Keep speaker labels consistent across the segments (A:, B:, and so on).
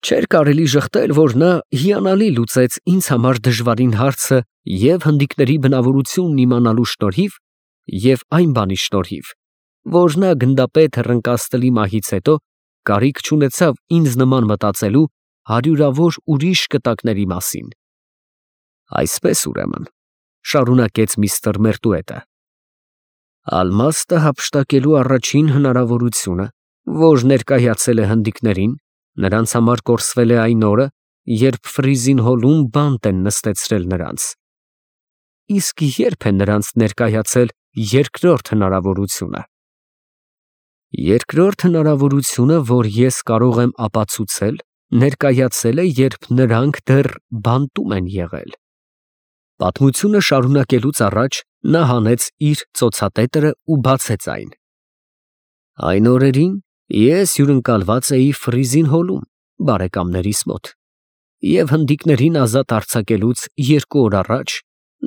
A: Չէր կարելի ժխտել, որ նա հիանալի լուծեց ինձ համար դժվարին հարցը և հնդիկների բնավորությունն իմանալու շնորհիվ, և այն բանի շնորհիվ, որ նա գնդապետ հռնկածների մահից հետո կարիք չունեցավ ինձ նման մտածելու հարյուրավոր ուրիշ կտակների մասին։ Այսպես, ուրեմն, շարունակեց միստր Մերտուետը, ալմաստը հափշտակելու առաջին հնարավորությունը, որ ներկայացել է հնդիկներին, նրանց համար կորսվել է այն օրը, երբ Ֆրիզին հոլում բանտ են նստեցրել նրանց։ Իսկ ե՞րբ է նրանց ներկայացել երկրորդ հնարավորությունը։ Երկրորդ հնարավորությունը, որ ես կարող եմ ապացուցել, ներկայացել է, երբ նրանք դեռ բանտում են եղել։ Պատմությունը շարունակելուց առաջ նա հանեց իր ծոցատետրը ու բացեց այն։ Այն օրերին ես հյուրընկալված էի Ֆրիզին հոլում, բարեկամներիս մոտ, և հնդիկներին ազատ արձակելուց 2 օր առաջ,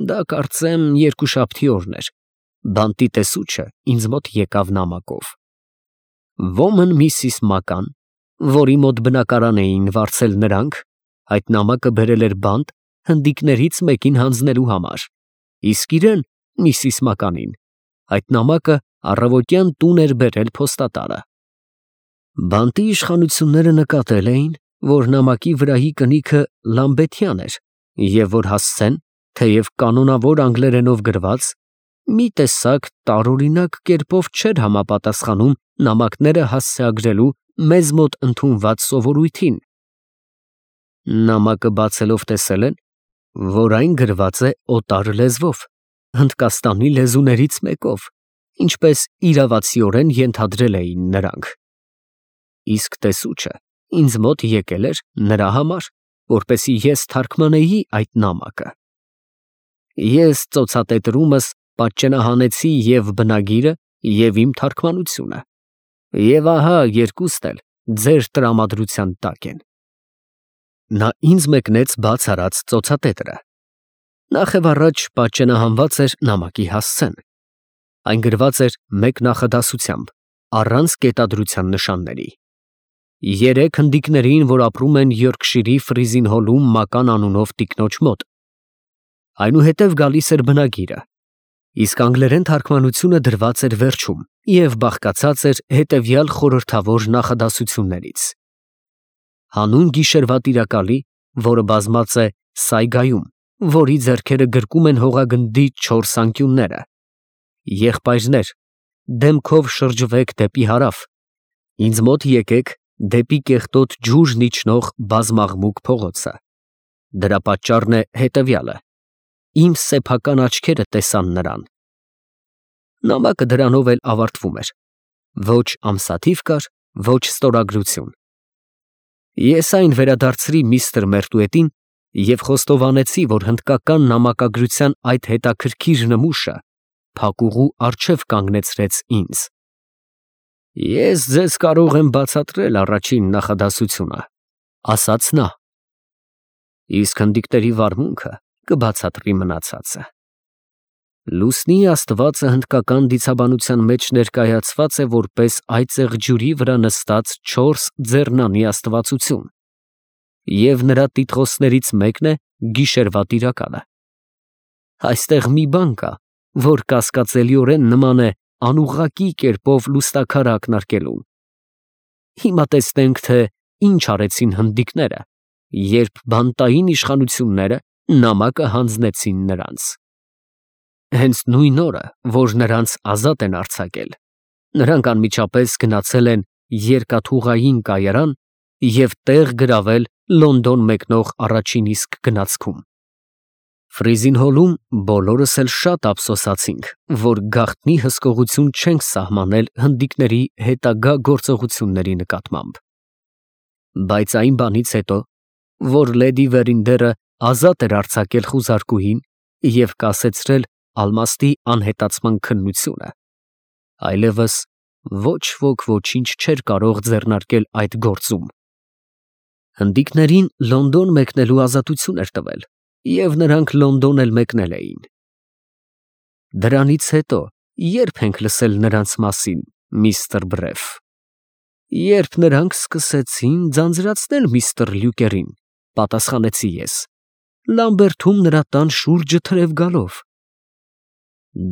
A: դա կարծեմ երկուշաբթի օրն էր, բանտի տեսուչը ինձ մոտ եկավ նամակով։ Ոմն Միսիս Մական, որի մոտ բնակարան էին վարձել նրանք, այդ նամակը բերել էր բանտ հնդիկներից մեկին հանձնելու համար, իսկ իրեն, Միսիս Մականին, այդ նամակը առավոտյան տուն էր բերել փոստատարը։ Բանտի իշխանությունները նկատել էին, որ նամակի վրայի կնիքը Լամբեթյան էր, և որ հասցեն, թեև կանոնավոր անգլերենով գրված, մի տեսակ տարօրինակ կերպով չէր համապատասխանում նամակները հասցեագրելու մեզ մոտ ընդունված սովորույթին։ Նամակը բացելով տեսել են, որ այն գրված է օտար լեզվով, Հնդկաստանի լեզուներից մեկով, ինչպես իրավացիորեն ենթադրել էին նրանք։ Իսկ տեսուչը ինձ մոտ եկել էր նրա համար, որպեսզի ես թարգմանեի այդ նամակը։ Ես ծոցատետրումս պատճենահանեցի և բնագիրը, և իմ թարգմանությունը, և ահա երկուստ էլ ձեր տրամադրության տակ են։ Նա ինձ մեկնեց բաց արած ծոցատետրը։ Նախևառաջ պատճենահանված էր նամակի հասցեն։ Այն գրված էր մեկ նախադասությամբ, առանց կետադրության նշանների։ 3 հնդիկներին, որ ապրում են Յորքշիրի Ֆրիզին հոլում Մական անունով տիկնոջ մոտ։ Այնուհետև գալիս էր բնագիրը, իսկ անգլերեն թարգմանությունը դրված էր վերջում և բաղկացած էր հետևյալ խորհրդավոր նախադասություններից. Հանուն գիշերվա տիրակալի, որը բազմած է Սայգայում, որի ձեռքերը գրկում են հողագնդի 4 անկյունները, եղբայրներ, դեմքով շրջվեք դեպի հարավ, ինձ մոտ եկեք դեպի կեղտոտ ջուրն իջնող բազմաղմուկ փողոցը։ Դրա պատճառն է հետևյալը. իմ սեփական աչքերը տեսան նրան։ Նամակը դրանով էլ ավարտվում էր. ոչ ամսաթիվ կար, ոչ ստորագրություն։ Ես այն վերադարձրի միստր Մերտուետին և խոստովանեցի, որ հնդկական նամակագրության այդ հետաքրքիր նմուշը փակուղու առջև կանգնեցրեց ինձ։ Ես ձեզ կարող եմ բացատրել առաջին նախադասությունը, ասաց նա, իսկ հնդիկների վարմունքը կբացատրի մնացածը։ Լուսնի աստվածը հնդկական դիցաբանության մեջ ներկայացված է որպես այծեղ ջուրի վրա նստած 4 ձեռնանի աստվածություն, և նրա տիտղոսներից մեկն է գիշերվա տիրակալը։ Այստեղ մի բան կա, որ կասկածելիորեն նման է անուղղակի կերպով լուստաքարը ակնարկելուն։ Հիմա տեսնենք, թե ինչ արեցին հնդիկները, երբ բանտային իշխանությունները նամակը հանձնեցին նրանց։ Հենց նույն օրը, որ նրանց ազատ են արձակել, նրանք անմիջապես գնացել են երկաթուղային կայարան և տեղ գրավել Լոնդոն մեկնող առաջին իսկ գնացքում։ Ֆրիզին հոլում բոլորս էլ շատ ափսոսացինք, որ գաղտնի հսկողություն չենք սահմանել հնդիկների հետագա գործողությունների նկատմամբ։ Բայց այն բանից հետո, որ լեդի Վերինդերը ազատ էր արձակել խուզարկուհին և կասեցրել ալմաստի անհետացման քննությունը, այլևս ոչ ոք ոչինչ չէր կարող ձեռնարկել այդ գործում։ Հնդիկներին Լոնդոն մեկնելու ազատություն էր տվել, և նրանք Լոնդոն էլ մեկնել էին։ Դրանից հետո ե՞րբ ենք լսել նրանց մասին, միստր Բրեֆ։ Երբ նրանք սկսեցին ձանձրացնել միստր Լյուկերին, պատասխանեցի ես, Լամբերթում նրա տան շուրջը թրև գալով։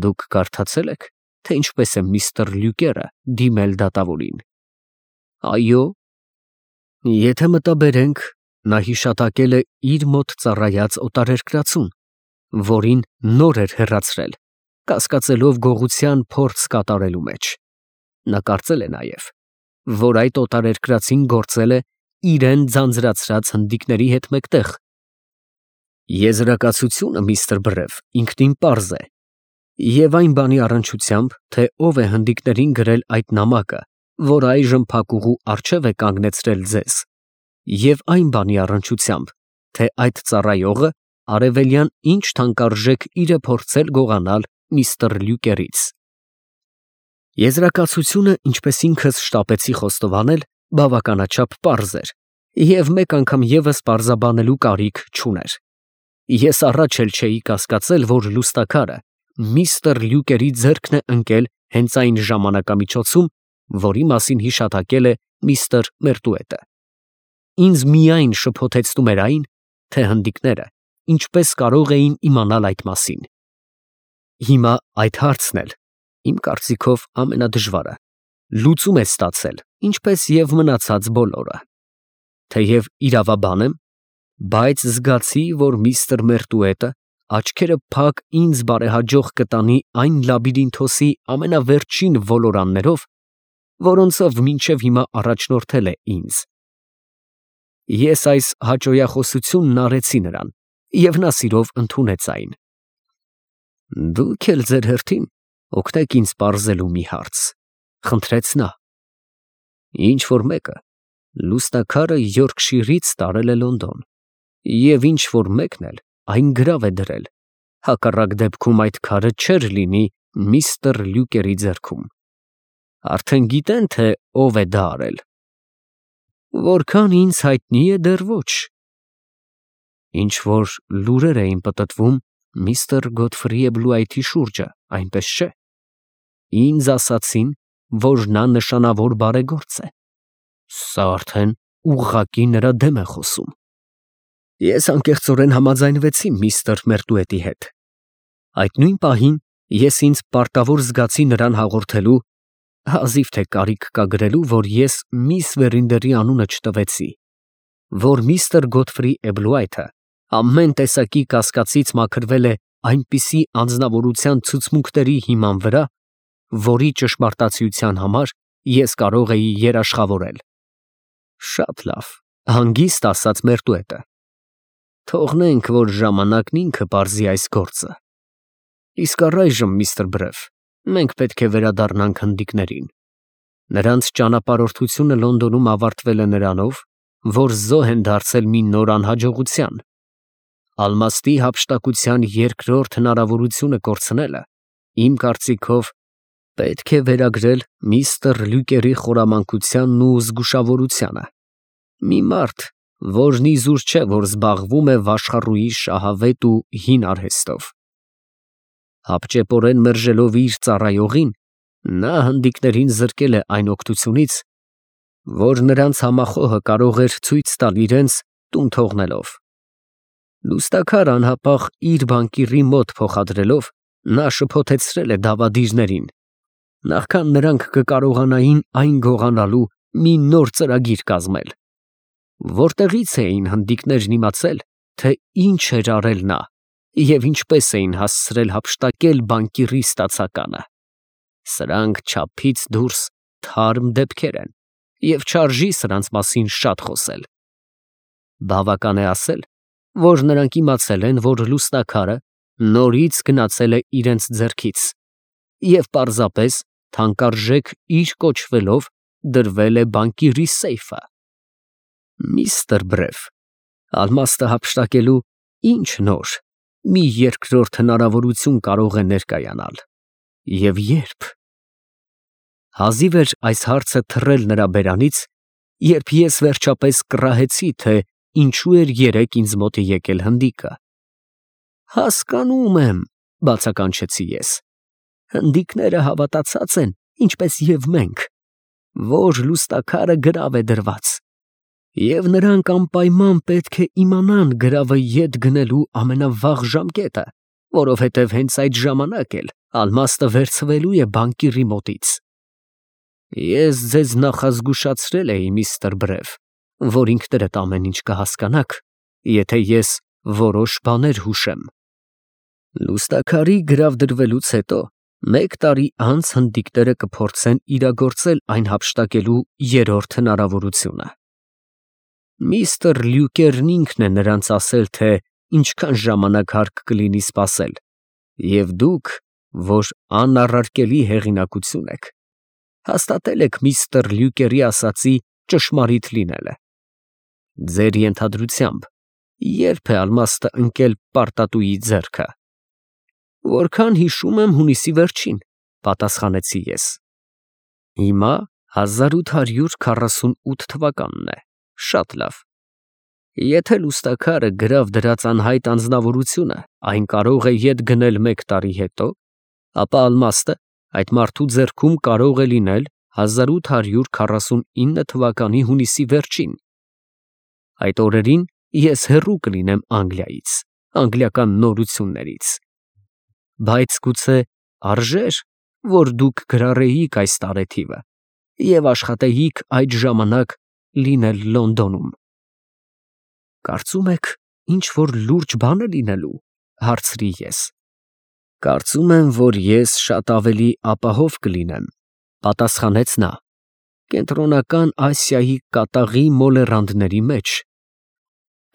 A: Դուք կարդացել եք, թե ինչպես է միստր Լյուկերը դիմել դատավորին։ Այո։ Եթե մտաբերենք, նա հիշատակել է իր մոտ ծառայած օտարերկրացուն, որին նոր էր հեռացրել, կասկածելով գողության փորձ կատարելու մեջ։ Նա կարծել է նաև, որ այդ օտարերկրացին գործել է իրեն ձանձրացրած հնդիկների հետ մեկտեղ։ Եզրակացությունը, միստր Բրև, ինքնին պարզ է, և այն բանի առնչությամբ, թե ով է հնդիկներին գրել այդ նամակը, որ այժմ փակուղու առջև է կանգնեցրել ձեզ, և այն բանի առնչությամբ, թե այդ ծառայողը արևելյան ինչ թանկարժեք իր է փորձել գողանալ միստր Լյուկերից։ Եզրակացությունը, ինչպես ինքս շտապեցի խոստովանել, բավականաչափ պարզ էր և մեկ անգամ ևս պարզաբանելու կարիք չուներ։ Ես առաջ էլ չէի կասկածել, որ լուստաքարը միստր Լյուկերի ձեռքն է ընկել հենց այն ժամանակամիջոցում, որի մասին հիշատակել է միստր Մերտուետը։ Ինձ միայն շփոթեցնում էր այն, թե հնդիկները ինչպես կարող էին իմանալ այդ մասին։ Հիմա այդ հարցն էլ, իմ կարծիքով ամենադժվարը, լուծում է ստացել, ինչպես և մնացած բոլորը։ Թեև իրավաբան եմ, բայց զգացի, որ միստր Մերտուետը աչքերը փակ ինձ բարեհաջող կտանի այն լաբիրինթոսի ամենավերջին ոլորաններով, որոնցով մինչև հիմա առաջնորդել է ինձ։ Ես այս հաճոյախոսությունն արեցի նրան, և նա սիրով ընդունեց այն։ Դուք էլ ձեր հերթին օգնեք ինձ պարզելու մի հարց, խնդրեց նա։ Ինչ-որ մեկը լուսնակարը Յորքշիրից տարել է Լոնդոն, և ինչ-որ մեկն էլ այն գրավ է դրել, հակառակ դեպքում այդ քարը չէր լինի միստր Լյուկերի ձեռքում։ Արդեն գիտեն, թե ով է դա արել։ Որքան ինձ հայտնի է, դեռ ոչ։ Ինչ-որ լուրեր էին պտտվում միստր Գոթֆրի Էբլուայթի շուրջը, այնպես չէ։ Ինձ ասացին, որ նա նշանավոր բարեգործ է։ Սա արդեն ուղղակի նրա դեմ է խոսում։ Ես անկեղծորեն համաձայնվեցի միստր Մերտուետի հետ։ Այդ նույն պահին ես ինձ պարտավոր զգացի նրան հաղորդելու, հազիվ թե կարիք կա գրելու, որ ես միս Վերինդերի անունը չտվեցի, որ միստր Գոթֆրի Էբլուայթը ամեն տեսակի կասկածից մաքրվել է այնպիսի անձնավորության ցուցմունքների հիման վրա, որի ճշմարտացիության համար ես կարող էի երաշխավորել։ Շատ լավ, հանգիստ ասաց Մերտուետը։ Թողնենք, որ ժամանակն ինքը պարզի այս գործը։ Իսկ առայժմ, միստր Բրև, մենք պետք է վերադառնանք հնդիկներին։ Նրանց ճանապարհորդությունը Լոնդոնում ավարտվել է նրանով, որ զոհ են դարձել մի նոր անհաջողության։ Ալմաստի հափշտակության երկրորդ հնարավորությունը կորցնելը, իմ կարծիքով, պետք է վերագրել միստր Լյուկերի խորամանկությանն ու զգուշավորությանը։ Մի մարդ, որն իզուր չէ, որ զբաղվում է վաշխառուի շահավետ ու հին արհեստով։ Հապճեպորեն մերժելով իր ծառայողին, նա հնդիկներին զրկել է այն օգնությունից, որ նրանց համախոհը կարող էր ցույց տալ իրենց տուն թողնելով։ Լուստաքար անհապաղ իր բանկիրի մոտ փոխադրելով, նա շփոթեցրել է դավադիրներին, նախքան նրանք կկարողանային այն գողանալու մի նոր ծրագիր կազմել։ Որտեղից էին հնդիկներն իմացել, թե ինչ էր արել նա և ինչպես էին հասցրել հափշտակել բանկիրի ստացականը։ Սրանք չափից դուրս թարմ դեպքեր են, և չարժի սրանց մասին շատ խոսել։ Բավական է ասել, որ նրանք իմացել են, որ լուսնակարը նորից գնացել է իրենց ձեռքից և պարզապես թանկարժեք իր կոչվելով դրվել է բանկիրի սեյֆը։ Միստր Բրև, ալմաստը հափշտակելու ինչ նոր, մի երկրորդ հնարավորություն կարող է ներկայանալ, և երբ։ Հազիվ էր այս հարցը թռել նրա բերանից, երբ ես վերջապես կռահեցի, թե ինչու էր երեկ ինձ մոտ եկել հնդիկը։ Հասկանում եմ, բացականչեցի ես, հնդիկները հավատացած են, ինչպես և մենք, որ լուստաքարը գրավ է դրված, և նրանք անպայման պետք է իմանան գրավը ետ գնելու ամենավաղ ժամկետը, որովհետև հենց այդ ժամանակ էլ ալմաստը վերցվելու է բանկիրի մոտից։ Ես ձեզ նախազգուշացրել էի, միստր Բրև, որ ինքներդ ամեն ինչ կհասկանաք, եթե ես որոշ բաներ հուշեմ։ Լուստաքարի գրավ դրվելուց հետո 1 տարի անց հնդիկները կփորձեն իրագործել այն հափշտակելու երրորդ հնարավորությունը։ Միստր Լյուկերն ինքն է նրանց ասել, թե ինչքան ժամանակ հարկ կլինի սպասել, և դուք, որ անառարկելի հեղինակություն եք, հաստատել եք միստր Լյուկերի ասածի ճշմարիտ լինելը։ Ձեր ենթադրությամբ, ե՞րբ է ալմաստը ընկել պարտատուի ձեռքը։ Որքան հիշում եմ, հունիսի վերջին, պատասխանեցի ես։ Հիմա 1848 թվականն է, շատ լավ։ Եթե լուստաքարը գրավ դրած անհայտ անձնավորությունը այն կարող է ետ գնել 1 տարի հետո, ապա ալմաստը այդ մարդու ձեռքում կարող է լինել 1849 թվականի հունիսի վերջին։ Այդ օրերին ես հեռու կլինեմ Անգլիայից, անգլիական նորություններից։ Բայց գուցե արժեր, որ դուք գրառեիք այս տարեթիվը և աշխատեիք այդ ժամանակ լինել Լոնդոնում։ Կարծում եք, ինչ-որ լուրջ բան է լինելու, հարցրի ես։ Կարծում եմ, որ ես շատ ավելի ապահով կլինեմ, պատասխանեց նա, Կենտրոնական Ասիայի կատաղի մոլեռանդների մեջ,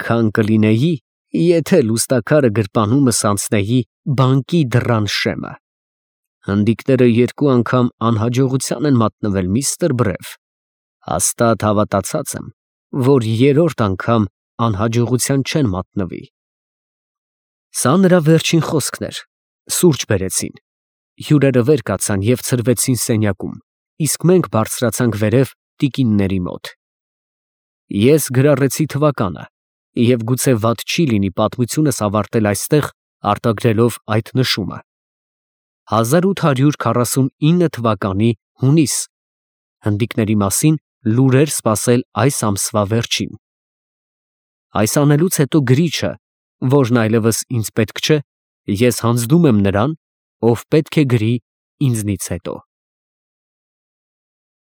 A: քան կլինեի, եթե լուստաքարը գրպանումս անցնեի բանկի դռան շեմը։ Հնդիկները 2 անգամ անհաջողության են մատնվել, միստր Բրև։ Հաստատ հավատացած եմ, որ երրորդ անգամ անհաջողության չեն մատնվի։ Սա նրա վերջին խոսքն էր։ Սուրճ բերեցին։ Հյուրերը վեր կացան և ցրվեցին սենյակում, իսկ մենք բարձրացանք վերև տիկինների մոտ։ Ես գրառեցի թվականը, և գուցե վատ չի լինի պատմությունս ավարտել այստեղ արտագրելով այդ նշումը. 1849 թվականի հունիս, հնդիկների մասին լուրեր սպասել այս ամսվա վերջին։ Այս անելուց հետո գրիչը, որն այլևս ինձ պետք չէ, ես հանձնում եմ նրան, ով պետք է գրի ինձնից հետո։